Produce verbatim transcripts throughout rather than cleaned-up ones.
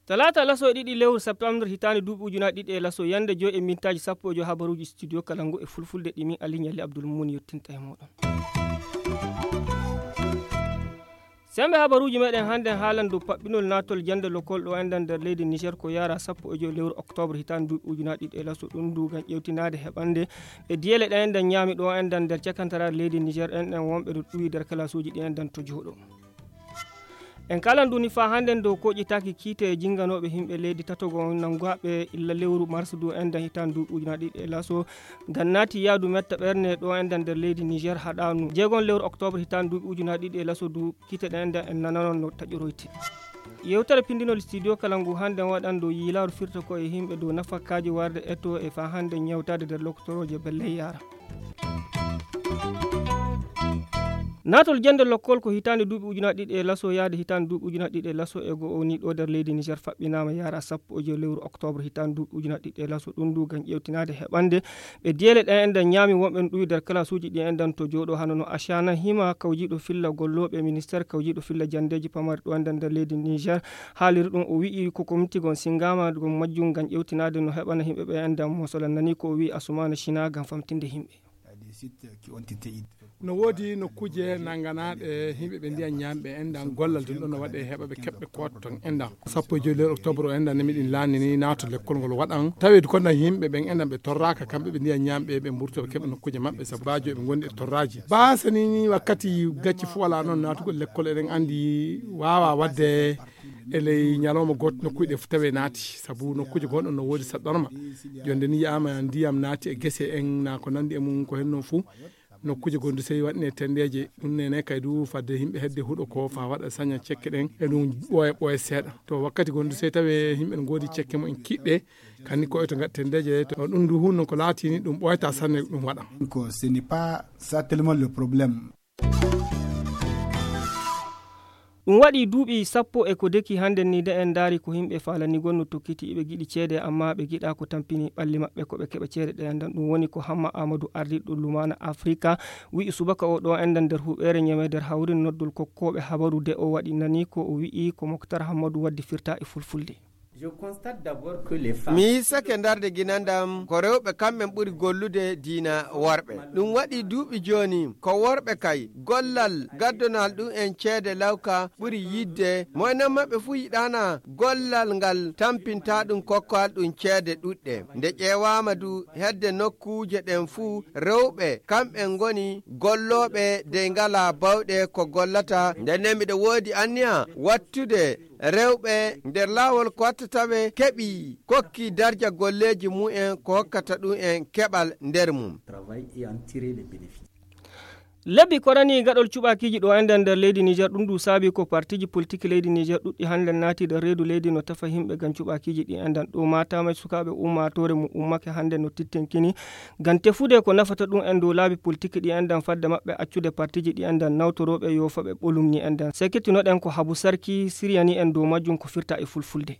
Talaata laso e ɗiɗi lewru septembre hitaande duuɓi ujunaaji ɗiɗi e laso, yannde joy e mintaaji sappo e joy, habaruuji studio kala ngu e fulfulde ɗi min Aliou Nialy Abdoul Mumuni yottinta e mooɗon. Semmbe habaruuji meɗen hannden haalan dow paɓɓinol naatol jannde lokol ɗo enɗan nder leydi Niger ko yara sappo e joy lewru octobre hitaande duuɓi ujunaaji ɗiɗi e laso, ɗum ndu ngam ƴewtinaade heɓande e diyele ɗe enɗan ñaami ɗo enɗan nder cakantaraare leydi Niger, enɗan wonɓe ɗo ɗuwi nder kalaasuuji ɗi enɗan to jooɗo. En kalan duni faa hannden dow koƴitaaki kiite e jinnganooɓe yimɓe leydi tatogo nannguɓe illa lewru mars du enɗan hitaande duuɓi ujunaaji ɗiɗi e laso, ngam naati yaadu metta ɓerne ɗo enɗan nder leydi Niger haɗaanu jeegon lewru octobre hitaande duuɓi ujunaaji ɗiɗi e laso du kiite ɗe enɗan en nananon no taƴoroyti. Yewtere pindinol studio kala ngu hannden waɗan dow yiilaaru firta ko e yimɓe dow nafakaaji warde eto e faa hannden ñawtaade nder lokotorooje belle yaara. Naatol jannde lokkol ko hitaande duuɓi ujunaaji ɗiɗi e laso yaade hitaande duuɓi ujunaaji ɗiɗi e laso e go'o ni ɗo nder leydi Niger faɓɓinaama yara sappo e joy lewru octobre hitaande duuɓi ujunaaji ɗiɗi e laso, ɗum ndu ngam ƴewtinaade heɓande ɓe diyele ɗe enɗan ñaami wonɓe no ɗuwi nder kalaasuuji ɗi enɗan to jooɗo hano no Ashana Hima kawjiiɗo filla gollooɓe ministère kawjiiɗo filla janndeeji pamari ɗo enɗan nder leydi Niger haaliri ɗum. O wi'i ko komiti gon sinngama gon majjum ngam ƴewtinaade no heɓana yimɓe ɓe enɗan mosola nani ko o wi'i Asumana Shina ngam famtinde yimɓe. No woodi nokkuuje nannganaaɗe yimɓe ɓe ndiyan ñaamɓe enɗan gollal ɗum ɗon no waɗe heɓa ɓe keɓɓe koot ton enɗan. Sappo e joy lewru octobre o enɗan nemi ɗin laani ni naato lekkol ngol waɗan taweedu ko nan yimɓe ɓen enɗan ɓe torraaka kamɓe ɓe ndiyan ñaamɓe ɓe mburto ɓe keɓɓe nokkuuje maɓɓe sabu baajo ɓe ngondi e torraaji baasa ni ni wakkati gacci fo wala noon naatugol lekkol eɗen anndi waawa waɗde e ley ñalawma gooto nokkuuje ɗe fof tawi naati sabu nokkuuje gonɗon no woodi saɗɗorma. Jonde ni yiyaama ndiyam naati e gese en na ko nanndi e mum ko henno fuu. Nokkuuje gonɗe sey waɗine tenndeeje ɗum nene kay du fadde yimɓe hedde huɗo ko faa waɗa saña cekke ɗen e ɗum ɓooya ɓooya seeɗa to wakkati gonɗe sey tawi yimɓe no ngoodi cekke mum en kiɗɗe. Kanni ko oto ngaɗ tenndeeje to ɗum du hunno ko laatini ɗum ɓooyata sanne ɗum waɗa. Ko ce n'est pas ça tellement le problème. Ɗum waɗi duuɓi sappo e ko deki hannden ni de en ndaari ko yimɓe faalani gonno tokkiti iɓe giɗi ceede amma ɓe giɗa ko tampini ɓalli maɓɓe ko ɓe keɓa ceede ɗe enɗan ɗum woni ko Hamma Amadou ardiɗo Lumana Afrika wi'i subaka o ɗo enɗan nder huɓeere ñeme nder hawrin noddol kokkooɓe habaru de o waɗi nani ko o wi'i ko Moktar Hammadu waddi firta e fulfulde. Mi hissake ndarde ginandam ko rewɓe kamɓen ɓuri gollude diina worɓe. Ɗum waɗi duuɓi jooni ko worɓe kay gollal gaddonal ɗum en ceede lawka ɓuri yidde. Moynan maɓɓe fuu yiɗaana gollal ngal tampinta ɗum kokkal ɗum ceede ɗuɗɗe. Nde ƴeewaama du hedde nokkuuje ɗen fuu rewɓe kamɓen ngoni gollooɓe dey ngalaa bawɗe ko gollata. Nden nen miɗo woodi anniya wattude rewɓe nder laawol ko watta tawe keɓi kokki darja golleeji mumen ko hokkata ɗum en keɓal nder mum. Lebbi korani gaɗol cuɓakiiji ɗo enɗan nder leydi Niger ɗum ɗum saabi ko partiji politiki leydi Niger ɗuɗɗi hannde naati nder reedu leydi no tefa yimɓe ngam cuɓakiiji ɗi enɗan ɗo matama sukaaɓe ummatore mo ummake hannde no tittenkini ngam tefude ko nafata ɗum en dow laabi politiki ɗi enɗan fadde maɓɓe accude partiji ɗi enɗan nawtorooɓe yoofaɓe ɓolum ni enɗan sekitinoɗen ko habu sarki siriyani en dow majjum ko firta e fulfulde.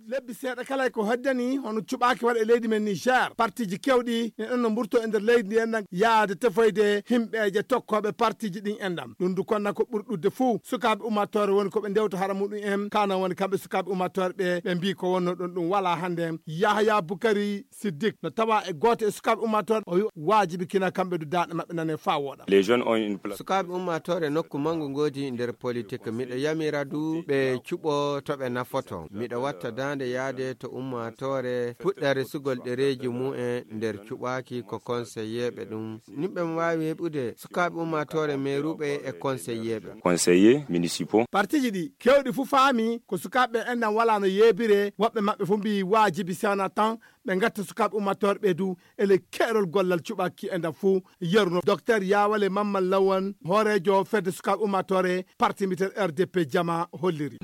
Lebbi seeɗa kala ko heddani hono cuɓaaki waɗa e leydi men Niger partiji kewɗi ne ɗon no mburto e nder leydi ndi enɗan yaade tefoyde himɓeeje tokkooɓe partiji ɗin enɗan ɗum du konna ko ɓuri ɗudde fuu sukaaɓe ummatore woni ko ɓe ndewta hara muɗum en kana woni kamɓe sukaaɓe ummatore ɓe ɓe mbi ko wonno ɗon ɗum wala hannde. Yahaya Bukari Siddik no tawa e gooto e sukaaɓe ummatore o wi waajibi kina kamɓe du daaɗe maɓɓe nane faa wooɗa. Sukaaɓe ummatore nokku mangu ngoodi nder politik miɗo yamira du ɓe cuɓo to ɓe nafoto miɗo watta daande yaade to ummatore puɗɗa resugol ɗereeji mumen nder cuɓaaki ko konseyeeɓe ɗum nimɓe mo waawi heɓude sukaaɓe ummatore meeruɓe e konseyeeɓe. Konseye municipaux partiji ɗi kewɗi fuu faami ko sukaaɓe enɗan wala no yeebire woɓɓe maɓɓe fuu mbi waajibi sewna tan ɓe ngatta sukaaɓe ummatore ɓe du e ley keerol gollal cuɓaaki enɗan fuu. Yeruno docteur yawale mamman lawan hooreejo fedde sukaaɓe ummatore parti mbitel rdp jama holliri.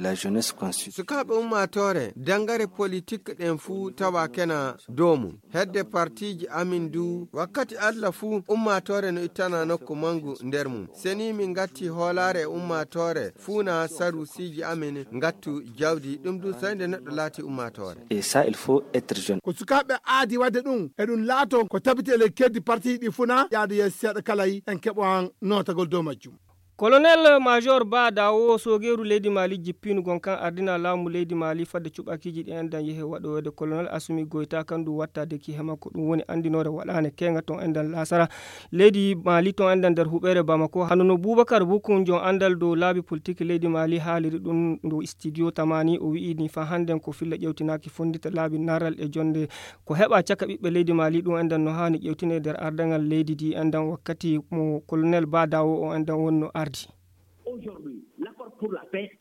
Sukaaɓe ummatore dangare politik ɗen fuu tawa kena dow mum hedde partiji amin du wakkati allah fuu ummatore no ittana nokku mangu nder mum seni min ngatti hoolaare e ummatore fuu na sarusiiji amin ngattu jawdi ɗum du soyde neɗɗo laati ummatore. Et ça il faut être jeune. sukkaaɓe aadi waɗde ɗum, eɗum laato ko tabiti e ley keddi partiiji ɗi funa yaade yeeso seeɗa kala en keɓo an nootagol dow majjum. Colonel Major Ba Dawo, soogeeru leydi Mali, jippiinu gon kan ardina laamu leydi Mali fadde cuɓakiiji ɗi enɗan yehe waɗoyde Colonel Asumi Goyta kan ɗum wattaade ki he makko. Ɗum woni anndinoore waɗaane keeŋa ton enɗan laasara leydi Mali ton enɗan nder huɓeere Bamako. Hano no Bubakar Bukun, jon anndal dow laabi politiki leydi Mali, haaliri ɗum dow studio Tamani, o wi'i ni fa hannden ko filla ƴewtinaaki fonndita laabi naral e jonde ko heɓa caka ɓiɓɓe leydi Mali. Ɗum enɗan no haani ƴewtine nder ardaŋal leydi ndi enɗan wakkati mo Colonel Ba Dawo o enɗan wonno ardi.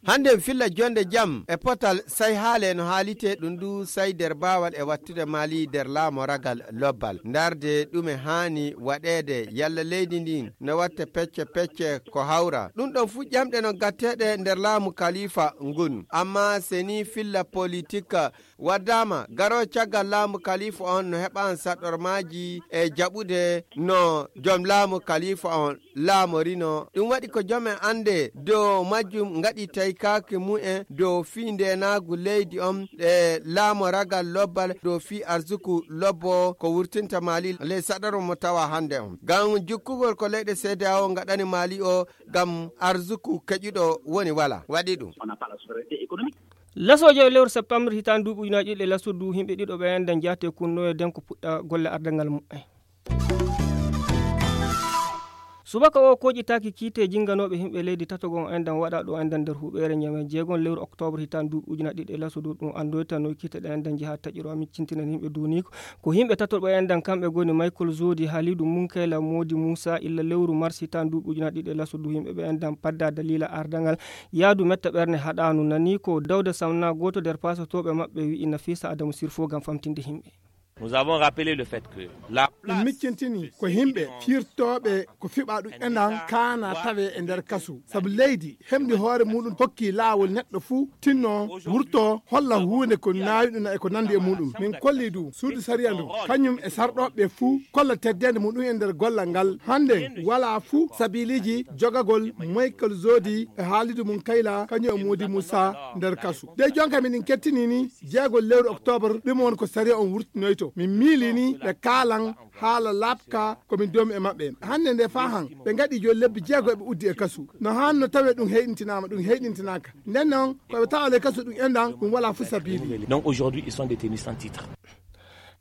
Hannde filla jonde jam e potal say haale no haalite ɗum ndu say nder baawal e wattude Mali nder laamoragal lobbal. Ndarde ɗume haani waɗeede yalla leydi ndin no watte pecce pecce ko hawra. Ɗum ɗon fu ƴamɗe no gatteeɗe nder laamu kalifa ngun. Amma seni filla politik waddaama garo caggal laamu kalifa on no heɓan saɗɗormaaji e jaɓude no jom laamu kalifa on laamorino. Ɗum waɗi ko jom en annde dow majjum ngaɗi taykaaki mu'en dow fii ndeenaagu leydi on e laamoragal lobbal dow fii arsuku lobbo ko wurtinta Mali ley saɗaro mo tawa hannde on. Ngam jukkugol ko leyɗe C D A O ngaɗani Mali o ngam arsuku keƴuɗo woni wala waɗi ɗum. Lasooje e lewru septembre hitaande duuɓi ujunaaji ɗiɗi e laso du, yimɓe ɗiɗo ɓe enɗan jaate kunnoye den ko puɗɗa golle ardangal mu'en. Subaka o koƴitaaki kiite jinganooɓe yimɓe leydi tatogon enɗan waɗa ɗo enɗan nder huɓeere Ñame jeegon lewru octobre hitaande duuɓi ujunaaji ɗiɗi e laso du. Ɗum anndoyta no kiite ɗe enɗan njaha taƴiro miccintina yimɓe duuniko. Ko yimɓe tato ɓe enɗan kamɓe goni Michael Zodi, Halidu Munkayla, Modi Musa. Illa lewru mars hitaande duuɓi ujunaaji ɗiɗi e laso du yimɓe ɓe enɗan padda dalila ardangal yaadu metta ɓerne haɗaanu. Nani ko Dawda Samna, gooto nder pasotooɓe maɓɓe, wi'i Nafisa Adamu Sirfo ngam famtinde yimɓe. Nous avons rappelé le fait que la ɗum miccintini ko yimɓe firtooɓe ko fiɓa ɗum enɗan kaana tawe e nder kasu, sabu leydi hemɗi hoore muɗum hokki laawol neɗɗo fuu tinno wurto holla huunde ko naawi ɗum e ko nandi e muɗum. Min kolli du suudu sariya ndu kañum e sarɗooɓe fuu kolla teddende muɗum e nder gollal ngal. Hannde wala fuu sabiliiji jogagol Michael Zodi e Halidu Munkayla kañum e Modi Musa nder kasu. De jonka miɗen kettini ni jeegol lewru octobre, ɗum woni ko sariya on wurtinoyto. Min miili ni ɓe kaalan haala laaɓka ko min doomi e maɓɓe. Hannde nde faa han ɓe ngaɗi jooni lebbi jeego eɓe uddi e kasu. No hanno tawe ɗum heyɗintinaama, ɗum heyɗintinaaka. Nden noon ko ɓe tawa ley kasu ɗum enɗan ɗum wala fuu sabiili. Donc aujourd'hui ils sont détenus sans titre.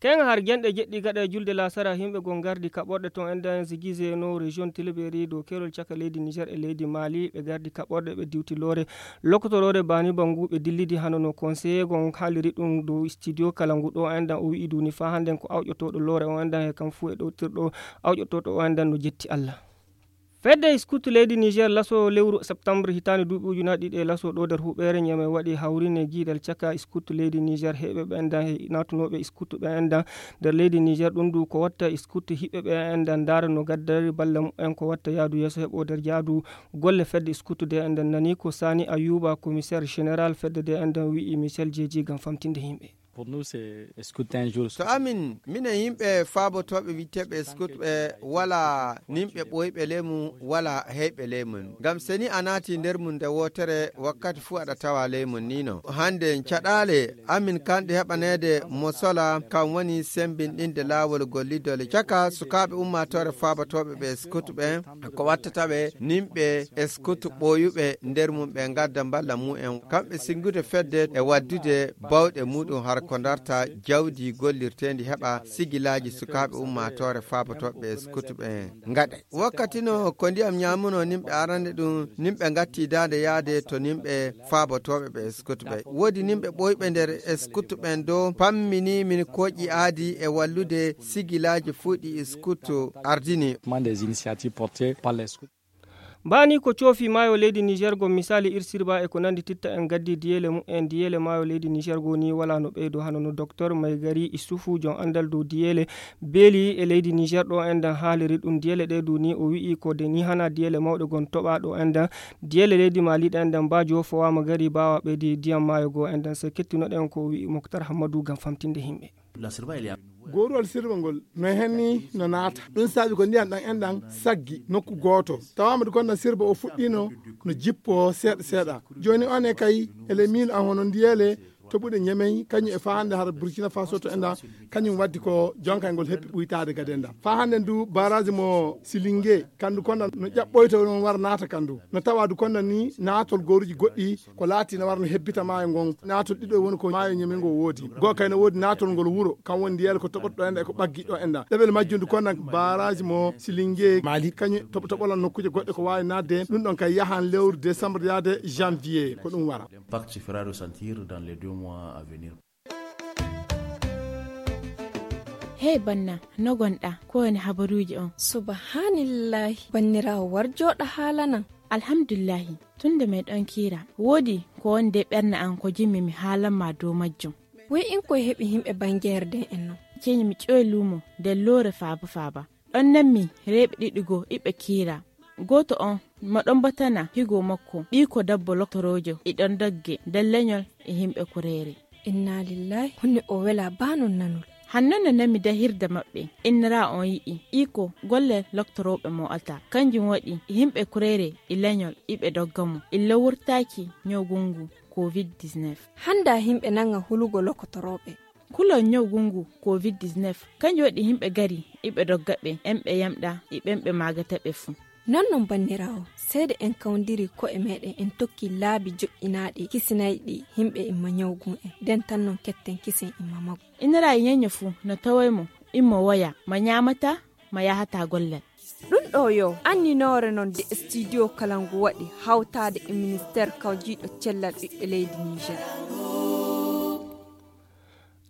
Keŋa har genɗe jeɗɗi gaɗa e julde laasara, yimɓe gon gardi kaɓorɗe ton enɗan Ziguinchor no région Tilaberi dow kerol caka leydi Niger e leydi Mali. Ɓe gardi kaɓorɗe ɓe diwti loore lokotoroore bani bangu ɓe dillidi hano no conseiller gon haaliri ɗum dow studio kala ngu ɗo enɗan. O wi'i duni faa hannden ko awƴotooɗo loore o enɗan e kam fuu e ɗowtirɗo awƴotooɗo o enɗan no jetti Allah. Fedde scout leydi Niger laso lewru septembre hitaande duuɓi ujunaaji ɗiɗi e laso ɗo nder huɓeere Ñame waɗi hawrine giidal caka scout leydi Niger heɓe ɓe enɗan e naatunooɓe scout ɓe enɗan nder leydi Niger. Ɗum du ko watta scout hiɓɓe ɓe enɗan ndaara no gaddari balla mumen ko watta yaadu yeeso heɓo nder jaadu golle fedde scout de enɗan. Nani ko Sani Ayuba, commissaire général fedde de enɗan wi'i Michel Jeeji ngam famtinde yimɓe. Pour nous, c'est scout un jour. To amin, minen yimɓe faabotooɓe wiyteeɓe scout ɓe wala nimɓe ɓooyɓe ley mum, wala heyɓe ley mum. Ngam seni a naati nder mum nde wootere, wakkati fuu aɗa tawa ley mum ni no. Hannde caɗaale amin kanɗe heɓaneede mo sola, kam woni sembinɗinde laawol gollidol caka sukaaɓe ummaatoore faabotooɓe ɓe scout ɓe. Ko wattata ɓe nimɓe e scout ɓooyuɓe nder mum ɓe ngadda mballa mumen, kamɓe singude fedde e waddude bawɗe muɗum har ko darta jawdi gollirteendi heɓa sigilaaji sukaaɓe ummaatoore faabotooɓe e scout ɓe ngaɗa. Wakkati no ko ndiyam ñaamuno nimɓe arande ɗum, nimɓe ngatti daande yaade to nimɓe faabotooɓe ɓe scout ɓe. Woodi nimɓe ɓooyɓe nder scout ɓen dow pammini min kooƴi aadi e wallude sigilaaji fuu ɗi scout ardini. Des initiatives portées par les scouts. Mbaani ko coofi maayo leydi Niger go misaali irsirba e ko nandi titta en gaddi diyeele mumen. Diyeele maayo leydi Niger go ni wala no ɓeydo hano no docteur Maygari Isufu, jon andal dow diyeele beeli e leydi Niger ɗo enɗan haaliri ɗum. Diyeele ɗe du ni o wi'i ko de ni hana diyeele mawɗe gon toɓa ɗo enɗan. Diyeele leydi Mali ɗe enɗan ba jofowaama gari bawa ɓeydi diyam maayo go enɗan. Se kettinoɗen ko wi'i Moktar Hammadu ngam famtinde yimɓe. Gooruwal sirba ngol no henni no naata. Ɗum saabi ko ndiyam ɗam enɗan saggi nokku gooto. Tawaama du kon no sirba o fuɗɗino no jippo seeɗa seeɗa. Jooni on e kay ele miin an hono ndiyeele toɓuɗe ñemey kañum e faa hannde hara Burkina Faso to enɗa, kañum waddi ko jonkay ngol heppi ɓuytaade gade enɗa. Faa hannde ndu baraaji mo Silinge, kandu konna no ƴaɓɓoyto, no wara naata kandu. No tawa du konna ni naatol gooruji goɗɗi ko laati no wara no hebbita maayo ngon. Naatol ɗiɗo woni ko maayo ñemey ngo woodi. Goo kay no woodi naatol ngol wuro, kan woni ndiyel ko toɓoto ɗo enɗa e ko ɓaggi ɗo enɗa. Ɗeɓel majjum du konna baraaji mo Silinge Mali, kañum toɓo toɓolan nokkuuje goɗɗe ko waawi naatde. Ɗum ɗon kay yahan lewru décembre yaade janvier, ko ɗum wara. L'impact se fera ressentir dans les deux mois à venir. Hey banna, no gonɗa? Ko woni habaruuji on? Subhanillahi, banniraawo, war jooɗa haalanan. Alhamdulillahi, tun nde meɗon kiira, woodi ko woni de ɓernde an ko jimmi mi haalan ma dow majjum. Woy in koye heɓi himɓe bangeere den en non? Ceeni mi ƴoyi luumo nder loore faaba faaba. Ɗon nanmi rewɓe ɗiɗi goo iɓe kiira. Gooto on mo ɗon batana higo makko, ɓiiko dabbo loktoroojo, e ɗon dogge nder leñol e himɓe kureere. Inna lillahi, honno o wela baa non nanol? Hanno no nanmi dahirde maɓɓe, innira on yi'i iko golle loktorooɓe mo alta. Kanjum waɗi himɓe kureere e leñol iɓe dogga mo. Illa wurtaaki ñawgu ngu covid dix-neuf. Hannda himɓe nanga hulugo loktorooɓe. Kulol ñawgu ngu covid dix-neuf, kanjum waɗi himɓe gari iɓe dogga ɓe, en ɓe yamɗa e ɓen ɓe maagata ɓe fuu. Non non banniraawo, seede en kawndiri ko'e meɗen en tokki laabi joƴƴinaaɗi kisinayɗi himɓe imma ñawgu en. Den tan non ketten kisen imma maggu. Innira e ñeño fuu no taway mo, immo woya, ma ñaamata, ma yahata gollal. Ɗum ɗo yo anninoore non de studio kala ngu waɗi hawtaade e ministeer kawjiiɗo cellal ɓiɓɓe leydi Niger.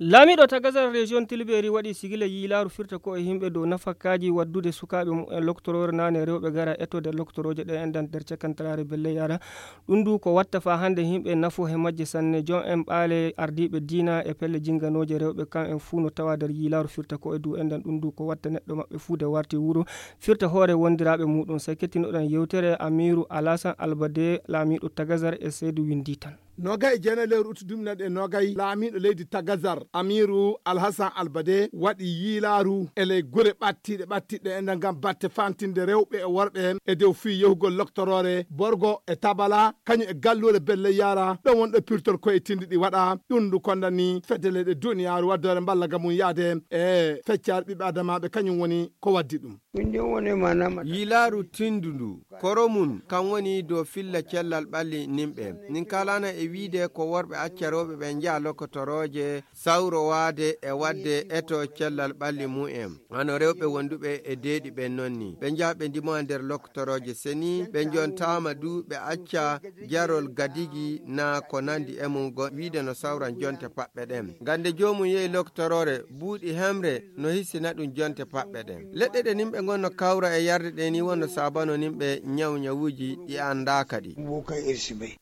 Laamiiɗo Tagazar Région Tilberi waɗi sigila yiilaaru firta ko e yimɓe dow nafakaaji waddude sukaaɓe mumen loktoroore naane rewɓe gara etode loktorooje ɗe enɗan nder cakantaraare belle yara. Ɗum du ko watta faa hannde yimɓe nafo he majje sanne. Joom en ɓaale ardiiɓe diina e pelle jinganooje rewɓe kan en fuu no tawa nder yiilaaru firta ko e du enɗan ɗum du ko watta neɗɗo maɓɓe fuu de warti wuro firta hoore wondiraaɓe muɗum. Sey kettinoɗen yewtere Amiiru Alasan Albade, laamiiɗo Tagazar e Seydu Windi Tan. Noogay e jeenayi lewru utu duuɓi nayi e noogay, laamiiɗo leydi Tagazar, Amiiru Alhasan Albade, waɗi yiilaaru e ley gure ɓattiiɗe ɓattiiɗe e nder ngam batte fantinde rewɓe e worɓe e dow fii yahugol loktoroore, Borgo e Tabala, kañum e galluure Belle Yara, ɗon woni ɗo pirtol koye tindi ɗi waɗa. Ɗum ndu kondani fedde leyɗe duniyaaru waddoore mballa ga mum yaade e feccaare ɓiɓɓe adamaaɓe, kañum woni ko waddi ɗum. Min ɗin woni manama. Yiilaaru tindu ndu, koro mun, kan woni dow filla cellal ɓalli nimɓe. Nin kaalana e wiide ko worɓe acca rewɓe ɓe njaha lokotorooje, sawrowaade e waɗde eto cellal ɓalli mumen. Hano rewɓe wonduɓe e deeɗi ɓen non ni. Ɓe njaha ɓe ndimoya nder lokotorooje seni, ɓe njontaama du ɓe acca jarol gadigi naa ko nandi e mum go-, wiide no sawran jonte paɓɓe ɗen. Ngam nde joomum yehi loktoroore, buuɗi hemre no hisina ɗum jonte paɓɓe ɗen. Leɗɗe ɗe nimɓe ngon no kawra e yarde ɗe ni wonno saabano nimɓe ñaw ñawuuji ɗi anndaaka ɗi.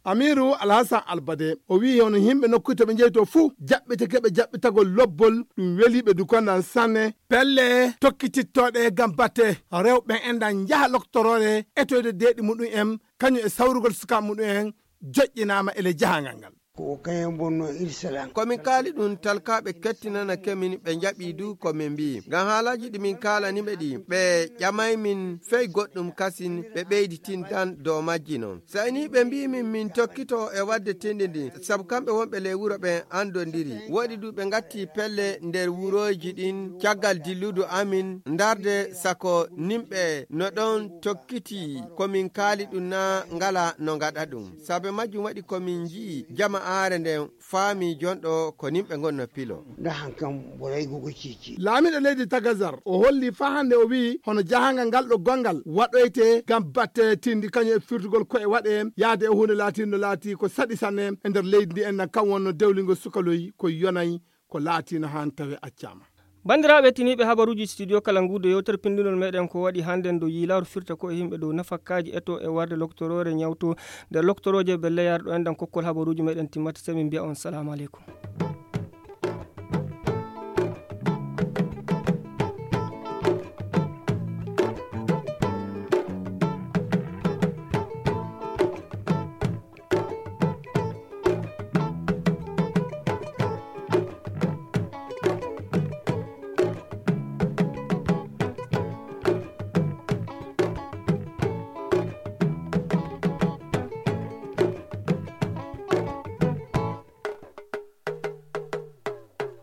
Amiiru Alhasan Albade, o wi'i hono yimɓe nokkuuji to ɓe njehi to fuu, jaɓɓitake ɓe jaɓɓitagol lobbol, ɗum weli ɓe du konnan sanne. Pelle tokkitittooɗe ngam batte rewɓe en ɗan njaha loktoroore etoyde deeɗi muɗum en, kañum e sawrugol sukaaɓe muɗum en, joƴƴinaama e ley jahangal ngal. Ko kañum bonnoo irsalan. Ko min kaali ɗum, talkaaɓe kettinana kemin, ɓe njaɓii du ko min mbii. Ngam haalaaji ɗi min kaalani ɓe ɗi, ɓe ƴamay min fey goɗɗum kasin, ɓe ɓeyditindan dow majji non. Sey ni ɓe mbii min, min tokkito e waɗde tindi ndin, sabu kamɓe wonɓe ley wuro ɓen andondiri. Woɗi du ɓe ngatti pelle nder wurooji ɗin caggal dilludu amin, ndarde sako nimɓe no ɗon tokkiti ko min kaali ɗum naa ngala no ngaɗa ɗum. Saabe majjum waɗi ko min nji'i jama'aare nden faami jonɗo ko nimɓe ngon no pilo. Nda hankan boray gogo cici. Laamiiɗo leydi Tagazar, o holli faa hannde, o wi'i hono jahangal ngal ɗo gonngal waɗoyte ngam batte tindi kañum e firtugol ko'e waɗe yaade e huunde laatiinde no laati ko saɗi sanne e nder leydi ndi en, nan kam wonno dewlingol sukaloy ko yonay ko laatiino haan tawi accaama. Banndiraaɓe tiniiɓe habaruuji studio kala nguudo yewtere pinndinol meɗen ko waɗi hannde ndo yiilaaru firta ko e yimɓe dow nafakaaji eto e warde loktoroore ñawto nder loktorooje belle yarɗo en ɗan kokkol habaruuji meɗen timmata sey min mbiya on salaamu aleykum.